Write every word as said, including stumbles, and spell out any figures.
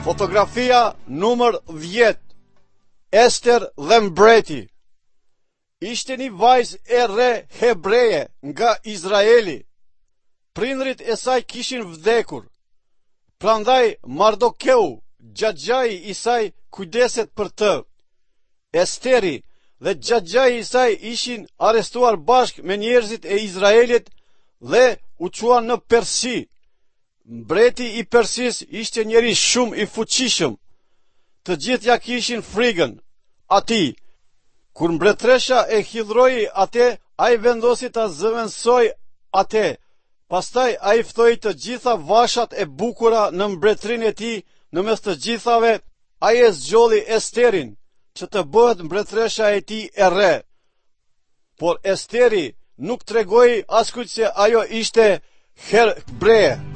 Fotografia numër dhjetë. Ester dhe mbreti. Ishte një vajzë e re hebreje nga Izraeli. Prindërit e saj kishin vdekur. Prandaj Mardokeu, xhaxhai i saj, kujdeset për të. Esteri dhe xhaxhai i saj ishin arrestuar bashkë me njerëzit e Izraelit dhe u çuan në Persi. Mbreti i Persisë ishte njeri shumë i fuqishëm. Të gjithë ja kishin frigën atij. Kur mbretëresha e hidhroi atë, ai vendosi ta zëvendësojë atë. Pastaj ai ftoi të gjitha vashat e bukura në mbretërinë e tij, në mes të gjithave ai e zgjodhi Esterin, që të bëhet mbretëresha e tij e re. Por Esteri nuk tregoi askujt se ajo ishte hebreje.